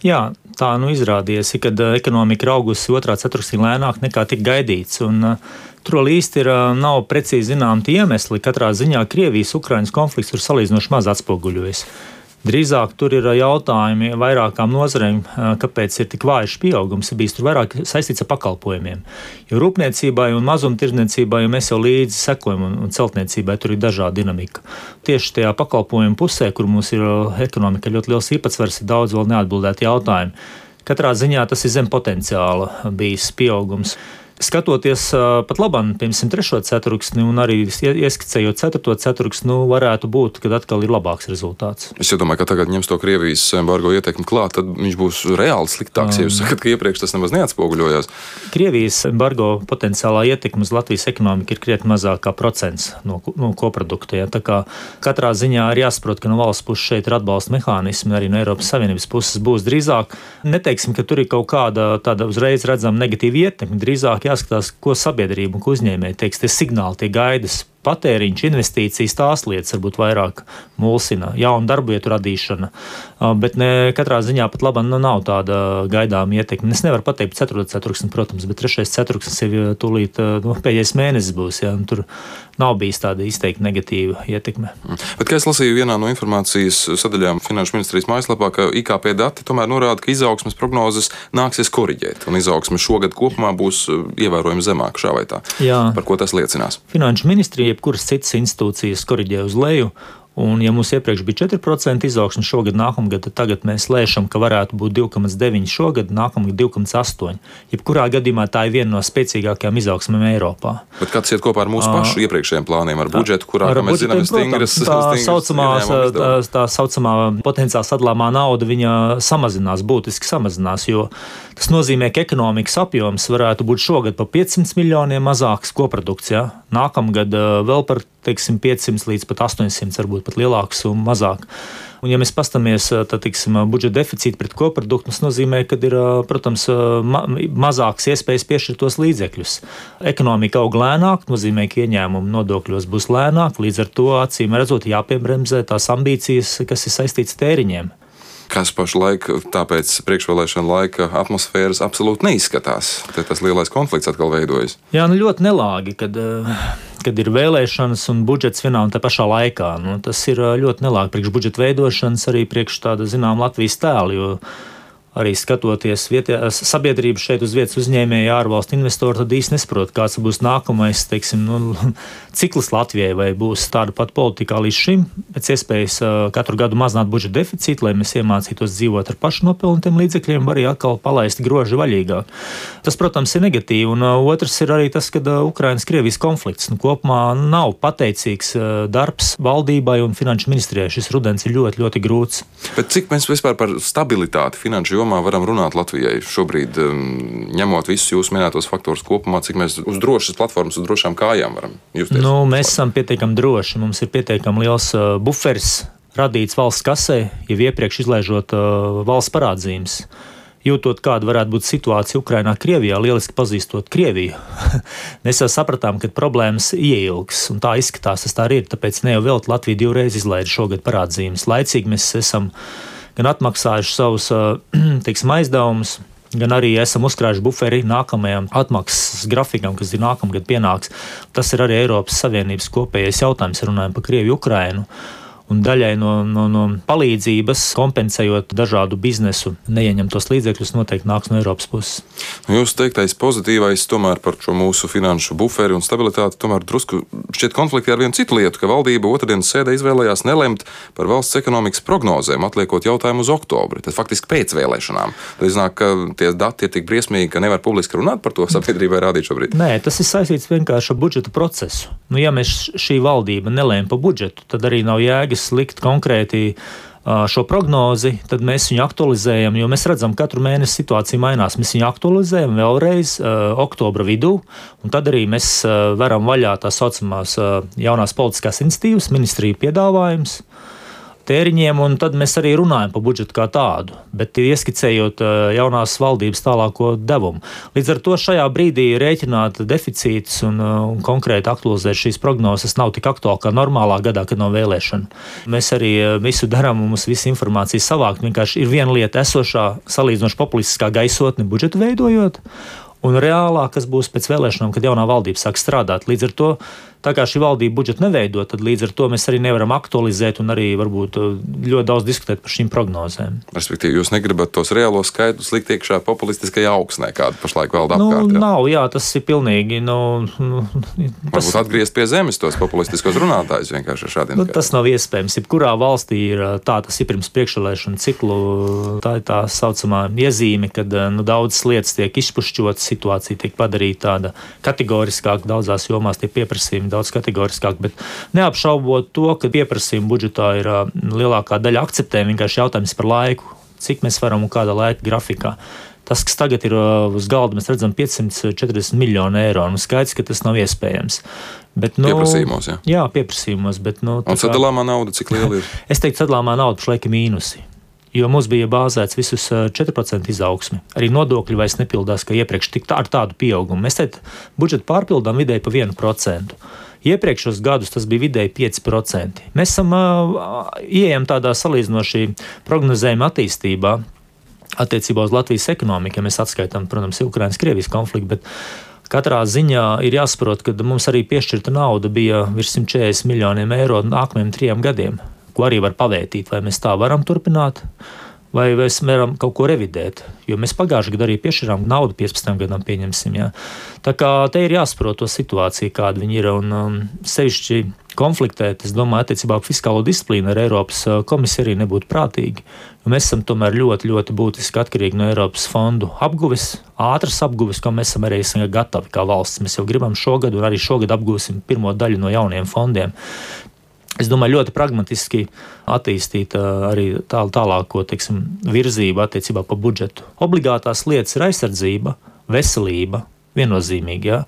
Jā, tā izrādījās, kad ekonomika ir augusi otrā ceturksnī lēnāk nekā tika gaidīts. Tur vēl īsti nav precīzi zināmi tie iemesli. Katrā ziņā Krievijas-Ukrainas konflikts tur salīdzinoši maz atspoguļojas. Drīzāk tur ir jautājumi vairākām nozarēm, kāpēc ir tik vājš pieaugums. Ir bijis tur vairāk saistīts ar pakalpojumiem. Jo rūpniecībai un mazumtirdzniecībai mēs jau līdzi sekojam, un celtniecībai tur ir dažāda dinamika. Tieši tajā pakalpojumu pusē, kur mums ir ekonomika ļoti liels īpatsvars, ir daudz vēl neatbildētu jautājumu. Katrā ziņā tas ir zem potenciāla bijis pieaugums. Skatoties pat labāk, piemēram, 3. ceturksni un arī ieskicējot 4. ceturksni, varētu būt, ka atkal ir labāks rezultāts. Es domāju, ka tagad ņems to Krievijas embargo ietekmi klāt, tad viņš būs reāli sliktāks. Ja jūs sakat, ka iepriekš tas nemaz neatspoguļojās. Krievijas embargo potenciālā ietekme uz Latvijas ekonomiku ir krietni mazāk kā procents no koprodukta. Ja? Tā kā katrā ziņā ir jāsaprot, ka no valsts puses šeit ir atbalsta mehānismi, arī no Eiropas Savienības puses būs drīzāk. Neteiksim, ka tur ir kaut kāda tāda uzreiz redzama negatīva ietekme, drīzāk jāskatās, ko sabiedrība un ko uzņēmēji teiks. Tie signāli, tie gaidas, patēriņš, investīcijas, tās lietas varbūt vairāk mulsina, jaunu darbu vietu radīšana, bet katrā ziņā pat labāk nav tāda gaidāma ietekme. Es nevaru pateikt 4. ceturksni, protams, bet 3. ceturksnis ir tūlīt pēdējais mēnesis būs, ja, un tur nav bijis tāda izteikti negatīva ietekme. Bet, kā es lasīju vienā no informācijas sadaļām Finanšu ministrijas mājaslapā, ka IKP dati tomēr norāda, ka izaugsmes prognozes nāksies koriģēt, un izaugsme šogad kopumā būs ievērojami zemāka šā vai tā. Jā. Par ko tas liecinās? Finanšu ministrija jebkuras citas institūcijas koriģē uz leju. Un, ja mums iepriekš bija 4% izaugsme šogad, nākamgad, tad tagad mēs lēšam, ka varētu būt 2,9% šogad, nākamgad 2,8%. Jebkurā gadījumā tā ir viena no spēcīgākajām izaugsmēm Eiropā. Bet kāds iet kopā ar mūsu pašu iepriekšējiem plāniem, ar budžetu, kurā, kā mēs zinām, tā saucamā potenciāli sadalāmā nauda, viņa būtiski samazinās, jo tas nozīmē, ka ekonomikas apjoms varētu būt šogad pa 500 miljoniem mazāks koprodukts, ja? Nākamgad vēl par 500 līdz pat 800, varbūt pat lielāks un mazāk. Un, ja mēs pastamies, tad, budžeta deficīti pret koproduktu, tas nozīmē, ka ir, protams, mazāks iespējas piešķirt tos līdzekļus. Ekonomika aug lēnāk, nozīmē, ka ieņēmumi nodokļos būs lēnāk, līdz ar to acīm redzot jāpiebremzē tās ambīcijas, kas ir saistītas tēriņiem. Kas pašlaik tāpēc priekšvēlēšana laika atmosfēras absolūti neizskatās. Te tas lielais konflikts atkal veidojas. Jā, ļoti nelāgi, kad ir vēlēšanas un budžets vienā un tā pašā laikā. Tas ir ļoti nelāgi priekš budžeta veidošanas, arī priekš tāda, Latvijas tēla, jo arī skatoties vietējās sabiedrības šeit uz vietas uzņēmēji, ārvalstu investori, tad īsti nesaprot, kāds būs nākamais, cikls Latvijai, vai būs tāda pat politika līdz šim, pēc iespējas katru gadu mazināt budžeta deficītu, lai mēs iemācītos dzīvot ar pašnopelnotiem līdzekļiem, var arī atkal palaist groži vaļīgāk. Tas, protams, ir negatīvi, un otrs ir arī tas, ka Ukrainas-Krievijas konflikts kopumā nav pateicīgs darbs valdībai un finanšu ministrijai. Šis rudens ir ļoti, ļoti grūts. Bet cik mēs vispār par stabilitāti finanšu jomā varam runāt Latvijai šobrīd, ņemot visus jūsu minētos faktorus kopumā, cik mēs uz drošas platformas, uz drošām kājām varam justies? Mēs esam pietiekami droši, mums ir pietiekami liels buferis radīts valsts kasē, jau iepriekš izlaižot valsts parādzīmes. Jūtot, kāda varētu būt situācija Ukrainā, Krievijā, lieliski pazīstot Krieviju. Mēs jau sapratām, ka problēmas ieilgs, un tā izskatās, tas tā arī ir, tāpēc ne jau vēl Latvija 2 reizes izlaiž šogad parādzīmes. Laicīgi mēs esam gan atmaksājuši savus aizdevumus, gan arī esam uzkrājuši buferi nākamajam atmaksas grafikam, kas ir nākamgad pienāks. Tas ir arī Eiropas Savienības kopējais jautājums, runājam par Krieviju, Ukrainu. Un daļai no palīdzības, kompensējot dažādu biznesu, neieņemtos līdzekļus, noteikti nāks no Eiropas puses. Jūs teiktais pozitīvais tomēr par šo mūsu finanšu buferi un stabilitāti, tomēr drusku šķiet konflikti ar vienu citu lietu, ka valdība otrdienas sēdē izvēlējās nelemt par valsts ekonomikas prognozēm, atliekot jautājumu uz oktobri. Tas faktiski pēc vēlēšanām. Tas iznāk, ka tie dati ir tik briesmīgi, ka nevar publiski runāt par to sabiedrībai rādīt šobrīd. Nē, tas ir saistīts vienkārši ar budžeta procesu. Ja mēs šī valdība nelēma par budžetu, tad arī nav jēgas likt konkrēti šo prognozi, tad mēs viņu aktualizējam, jo mēs redzam, katru mēnesi situācija mainās. Mēs viņu aktualizējam vēlreiz oktobra vidū, un tad arī mēs veram vaļā tā saucamās jaunās politiskās iniciatīvas, ministriju piedāvājums. tēriņiem, un tad mēs arī runājam par budžetu kā tādu, bet ieskicējot jaunās valdības tālāko devumu. Līdz ar to šajā brīdī rēķināt deficītus un konkrēti aktualizēt šīs prognozes nav tik aktuāli kā normālā gadā, kad nav vēlēšana. Mēs arī visu darām un mums visa informācija savākt. Vienkārši ir viena lieta esošā salīdzinoši populistiskā gaisotne budžetu veidojot, un reālā, kas būs pēc vēlēšanām, kad jaunā valdība sāk strādāt. Līdz ar to, tā kā šī valdība budžetu neveido, tad līdz ar to mēs arī nevaram aktualizēt un arī varbūt ļoti daudz diskutēt par šīm prognozēm. Respektīvi, jūs negribat tos reālos skaitļus likt iekšā populistiskajā augsnē, kāda pašlaik valda apkārt? Nav, tas ir pilnīgi. Varbūt atgriezt pie zemes tos populistiskos runātājus vienkārši ar šādiem skaitļiem. Tas nav iespējams. Jebkurā valstī ir tas ir pirms priekšvēlēšanu ciklu, tā ir tā saucamā iezīme, kad daudzas lietas tiek izpušķotas, situācija tiek padarīta tāda kategoriskāka, daudzās jomās tie pieprasījumi daudz kategoriskāk, bet neapšaubot to, ka pieprasījuma budžetā ir lielākā daļa akceptē, vienkārši jautājums par laiku, cik mēs varam un kādā laika grafikā. Tas, kas tagad ir uz galda, mēs redzam 540 miljonu eiro, un skaidrs, ka tas nav iespējams. Bet, pieprasījumos, jā? Jā, pieprasījumos, bet... Un sadalāmā nauda, cik liela ir? Es teiktu, sadalāmā nauda pašlaik ir mīnusi. Jo mums bija bāzēts visus 4% izaugsmi. Arī nodokļi vairs nepildās, kā iepriekš ar tādu pieaugumu. Mēs te budžetu pārpildām vidēji pa 1%. Iepriekšos gadus tas bija vidēji 5%. Mēs ieejam tādā salīdzinoši prognozējuma attīstībā attiecībā uz Latvijas ekonomiku, ja mēs atskaitām, protams, Ukrainas-Krievijas konfliktu, bet katrā ziņā ir jāsaprot, ka mums arī piešķirta nauda bija virs 140 miljoniem eiro nākamajiem 3 gadiem. Ko arī var pavērtīt, vai mēs tā varam turpināt, vai mēs varam kaut ko revidēt. Jo mēs pagājušajā gadā arī piešķirām naudu 15 gadam, pieņemsim. Jā. Tā kā te ir jāsaprot to situāciju, kāda viņi ir, un sevišķi konfliktēt, es domāju, attiecībā par fiskālo disciplīnu ar Eiropas komisiju arī nebūtu prātīgi. Jo mēs esam tomēr ļoti, ļoti būtiski atkarīgi no Eiropas fondu apguves, ātras apguves, ko mēs esam arī gatavi kā valsts. Mēs jau gribam šogad, un arī šogad apgūsim pirmo daļu no jauniem fondiem. Es domāju, ļoti pragmatiski attīstīt arī tālāko virzību attiecībā par budžetu. Obligātās lietas ir aizsardzība, veselība, viennozīmīgi, ja?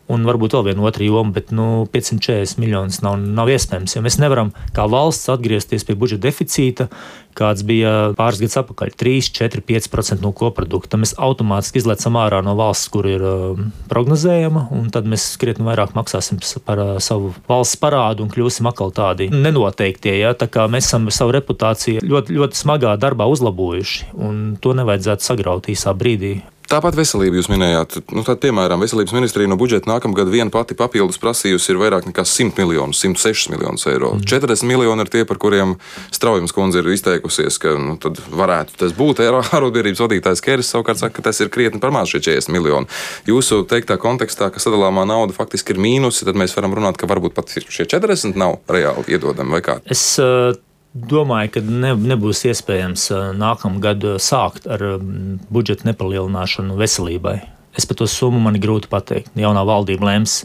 Un varbūt vēl viena otra joma, bet 540 miljonus nav iespējams, jo mēs nevaram kā valsts atgriezties pie budžeta deficīta, kāds bija pāris gadus atpakaļ, 3, 4, 5% no koprodukta. Mēs automātiski izlecam ārā no valsts, kur ir prognozējama, un tad mēs krietni vairāk maksāsim par savu valsts parādu un kļūsim atkal tādi nenoteiktie. Ja? Tā kā mēs esam savu reputāciju ļoti, ļoti smagā darbā uzlabojuši, un to nevajadzētu sagraut īsā brīdī. Tāpat veselība jūs minējāt. Tad, piemēram, veselības ministrija no budžeta nākamgad viena pati papildus prasījusi ir vairāk nekā 100 miljonus, 106 miljonus eiro. 40 miljoni ir tie, par kuriem Straujums kundze ir izteikusies, ka tad varētu tas būt. Arotbiedrības vadītājs Keris savukārt saka, ka tas ir krietni par maz šie 40 miljoni. Jūsu teiktā kontekstā, ka sadalāmā nauda faktiski ir mīnusi, tad mēs varam runāt, ka varbūt pat šie 40 nav reāli iedodami vai kā? Es domāju, ka nebūs iespējams nākamgad sākt ar budžeta nepalielināšanu veselībai. Es par to summu man ir grūti pateikt. Jaunā valdība lems.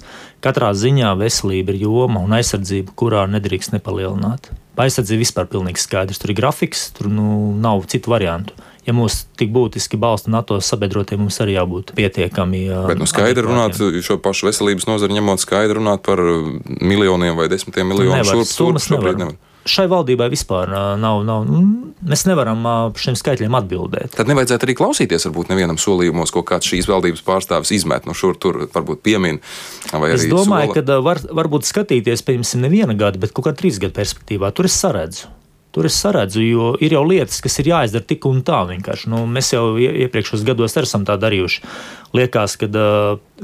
Katrā ziņā veselība ir joma un aizsardzība, kurā nedrīkst nepalielināt. Aizsardzība vispār pilnīgi skaidrs. Tur ir grafiks, tur nav citu variantu. Ja mūs tik būtiski balsta NATO sabiedrotie, mums arī jābūt pietiekami. Bet skaidri runāt, šo pašu veselības nozari ņemot, skaidri runāt par miljoniem vai 10 miljoniem šobrīd nevar. Šai valdībai vispār nav. Mēs nevaram par šiem skaitļiem atbildēt. Tad nevajadzētu arī klausīties varbūt nevienam solījumos, ko kāds šīs valdības pārstāvis izmet no šur tur, varbūt piemin. Es domāju, ka varbūt skatīties, pieņemsim, neviena gada, bet kaut kā 3 gadu perspektīvā. Tur es saredzu, jo ir jau lietas, kas ir jāizdara tik un tā vienkārši. Mēs jau iepriekšos gados esam tā darījuši. Liekas, ka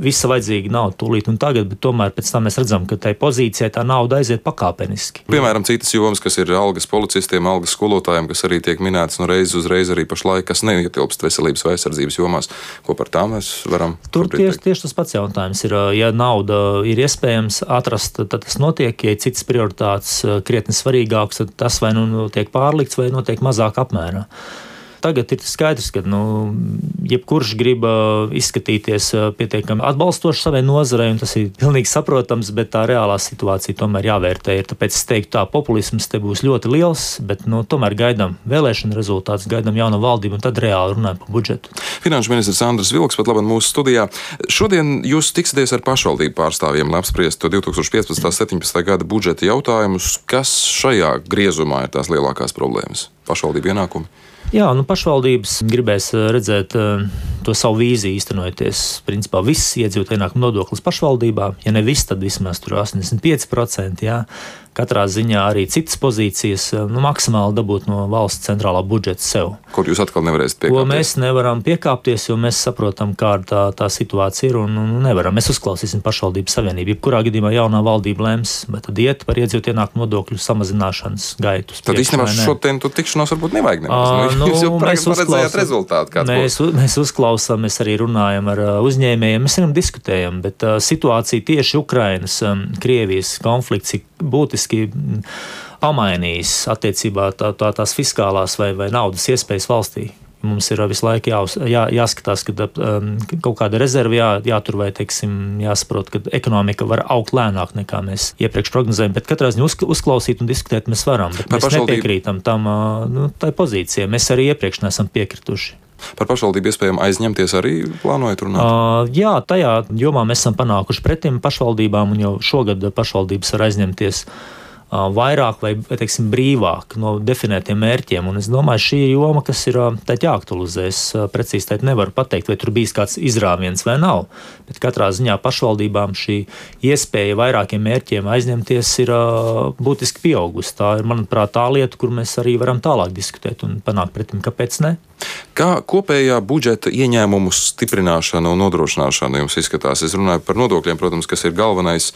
visa vajadzīga nauda tūlīt un tagad, bet tomēr pēc tam mēs redzam, ka tai pozīcijai tā nauda aiziet pakāpeniski. Piemēram, citas jomas, kas ir algas policistiem, algas skolotājiem, kas arī tiek minētas reiz uz reizi arī pašlaik, kas neietilpst veselības vai aizsardzības jomās. Ko par tām mēs varam? Tur tieši tas pats jautājums ir. Ja nauda ir iespējams atrast, tad tas notiek. Ja ir citas prioritātes krietni svarīgākas, tad tas vai tiek pārlikts vai notiek mazāk apmērā. Tagad ir skaidrs, ka jebkurš grib izskatīties pietiekami atbalstoši savai nozarei, un tas ir pilnīgi saprotams, bet tā reālā situācija tomēr jāvērtē. Tāpēc es teiktu, tā populisms te būs ļoti liels, bet tomēr gaidām vēlēšanu rezultātus, gaidām jaunu valdību un tad reāli runājam par budžetu. Finanšu ministrs Andris Vilks pat labāk mūsu studijā. Šodien jūs tiksieties ar pašvaldību pārstāvjiem, lai apspriestu 2015.17. gada budžeta jautājumus. Kas šajā griezumā ir tās lielākās problēmas? Pašvaldību ienākumi? Jā, pašvaldības gribēs redzēt to savu vīziju īstenojoties. Principā viss iedzīvotāju ienākumu nodoklis pašvaldībā, ja ne viss, tad vismaz tur 85%. Jā. Katrā ziņā arī citas pozīcijas maksimāli dabūt no valsts centrālā budžeta sev. Kur jūs atkal nevarēsiet piekāpties? Ko mēs nevaram piekāpties, jo mēs saprotam, kāda tā situācija ir un nevaram. Mēs uzklausīsim pašvaldību savienību. Jebkurā gadījumā jaunā valdība lems, bet tad iet par iedzīvotāju ienākumu nodokļu samazināšanas gaitu. Tad īstenībā šodien tu tikšanos varbūt nevajag nemaz. Jūs jau paredzējāt rezultātu. Mēs uzklausām, mēs arī runājam ar uzņēmējiem, mēs diskutējam, bet situācija tieši Ukrainas, Krievijas konflikts ir būtiski pamainījis attiecībā tās fiskālās vai naudas iespējas valstī. Mums ir visu laiku jāskatās, ka kaut kāda rezerve jātur vai, jāsaprot, ka ekonomika var augt lēnāk nekā mēs iepriekš prognozējam, bet katrā ziņā uzklausīt un diskutēt mēs varam, bet mēs nepiekrītam tam tai pozīcijai. Mēs arī iepriekš neesam piekrituši. Par pašvaldību iespējām aizņemties arī plānojat runāt? Jā, tajā jomā mēs esam panākuši pretim pašvaldībām, un jau šogad pašvaldības var aizņemties vairāk vai brīvāk no definētiem mērķiem. Un es domāju, šī joma, kas ir jāaktualizē, es precīzi teikt nevaru pateikt, vai tur bijis kāds izrāviens vai nav. Bet katrā ziņā pašvaldībām šī iespēja vairākiem mērķiem aizņemties ir būtiski pieaugusi. Tā ir, manuprāt, tā lieta, kur mēs arī varam tālāk diskutēt un panākt pretim, kāpēc ne. Kā kopējā budžeta ieņēmumu stiprināšana un nodrošināšana jums izskatās? Es runāju par nodokļiem, protams, kas ir galvenais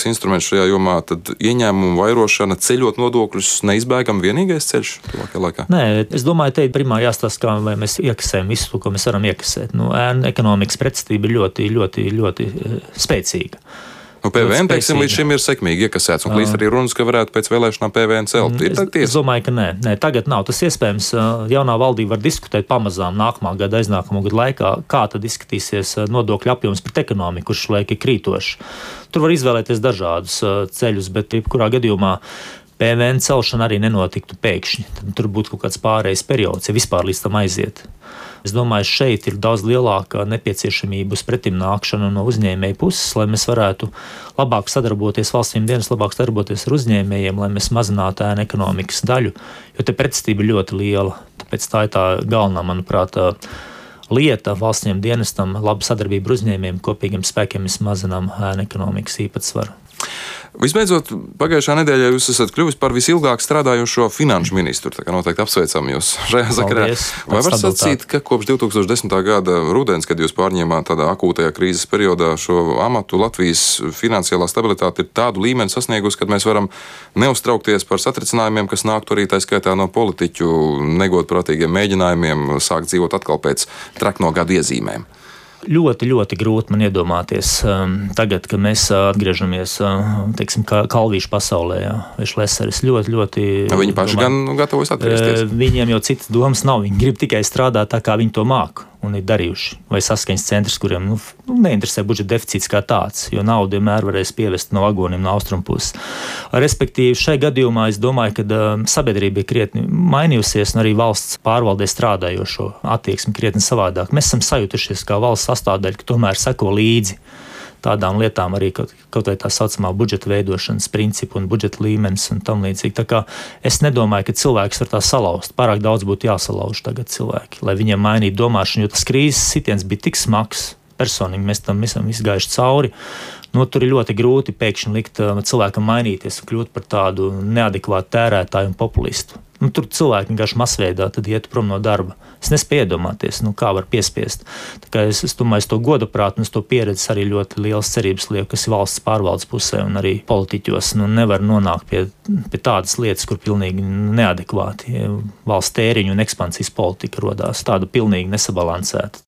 instruments šajā jomā, tad ieņēmumu vairošana, ceļot nodokļus neizbēgam vienīgais ceļš tuvākajā laikā? Nē, es domāju, te primā jāstāsta, kā vai mēs iekasējam visu, ko mēs varam iekasēt. Ēnu ekonomikas pretestība ir ļoti, ļoti, ļoti spēcīga. PVN, līdz šim ir sekmīgi iekasēts, un līdz arī runas, ka varētu pēc vēlēšanām PVN celt. Es domāju, ka nē, tagad nav tas iespējams. Jaunā valdība var diskutēt pamazām nākamā gada, aiznākamā gada laikā, kā tad izskatīsies nodokļu apjoms pret ekonomiku, kurš šlaik ir krītošs. Tur var izvēlēties dažādus ceļus, bet jebkurā gadījumā PVN celšana arī nenotiktu pēkšņi. Tad tur būtu kaut kāds pārējais periods, ja vispār līdz tam aiziet. Es domāju, šeit ir daudz lielāka nepieciešamība uz pretimnākšanu no uzņēmēju puses, lai mēs varētu labāk sadarboties, valstīm dienas labāk sadarboties ar uzņēmējiem, lai mēs mazinātu ēnu ekonomikas daļu, jo te pretestība ir ļoti liela. Tāpēc tā ir tā galvenā, manuprāt, lieta valstīm dienestam, laba sadarbība ar uzņēmējiem, kopīgiem spēkiem mēs mazinām ēnu ekonomikas īpatsvaru. Visbeidzot, pagājušā nedēļā jūs esat kļuvis par visilgāk strādājošo finanšu ministru. Tā kā noteikti apsveicam jūs šajā sakarā. Vai var sacīt, ka kopš 2010. gada rudens, kad jūs pārņēmāt tādā akūtajā krīzes periodā šo amatu, Latvijas finansiālā stabilitāte ir tādu līmeni sasniegusi, kad mēs varam neuztraukties par satricinājumiem, kas nāktu arī tā skaitā no politiķu negodprātīgiem mēģinājumiem sākt dzīvot atkal pēc trakno gadu iezīmēm? Ļoti, ļoti grūti man iedomāties tagad, kad mēs atgriežamies, kalvīšu pasaulē, vai šleseris ļoti. Viņi paši gan gatavojas atgriezties. Viņiem jau citas domas nav, viņi grib tikai strādāt tā, kā viņi to māku un ir darījuši. Vai saskaņas centrs, kuriem neinteresē budžeta deficīts kā tāds, jo naudu vienmēr varēs pievest no vagoniem no austrumpuses. Respektīvi, šai gadījumā es domāju, ka sabiedrība ir krietni mainījusies un arī valsts pārvaldē strādājošo attieksmi krietni savādāk. Mēs esam sajutušies kā valsts sastāvdaļa, ka tomēr seko līdzi tādām lietām arī kaut vai tā saucamā budžeta veidošanas principu un budžeta līmenis un tam līdzīgi. Tā kā es nedomāju, ka cilvēks var tā salauzt. Pārāk daudz būtu jāsalauž tagad cilvēki, lai viņiem mainītu domāšanu, jo tas krīzes sitiens bija tik smags. Personīgi mēs tam esam izgājuši cauri. Tur ir ļoti grūti pēkšņi likt cilvēkam mainīties un kļūt par tādu neadekvātu tērētāju un populistu. Tur cilvēki vienkārši masveidā tad iet prom no darba. Es nespēju iedomāties, kā var piespiest. Tā kā es domāju, es to godaprātu un es to pieredzi arī ļoti liels cerības lieku, kas ir valsts pārvaldes pusē un arī politiķos. Nevar nonākt pie tādas lietas, kur pilnīgi neadekvāti valsts tēriņu un ekspansijas politika rodās. Tāda pilnīgi nesabalansēta.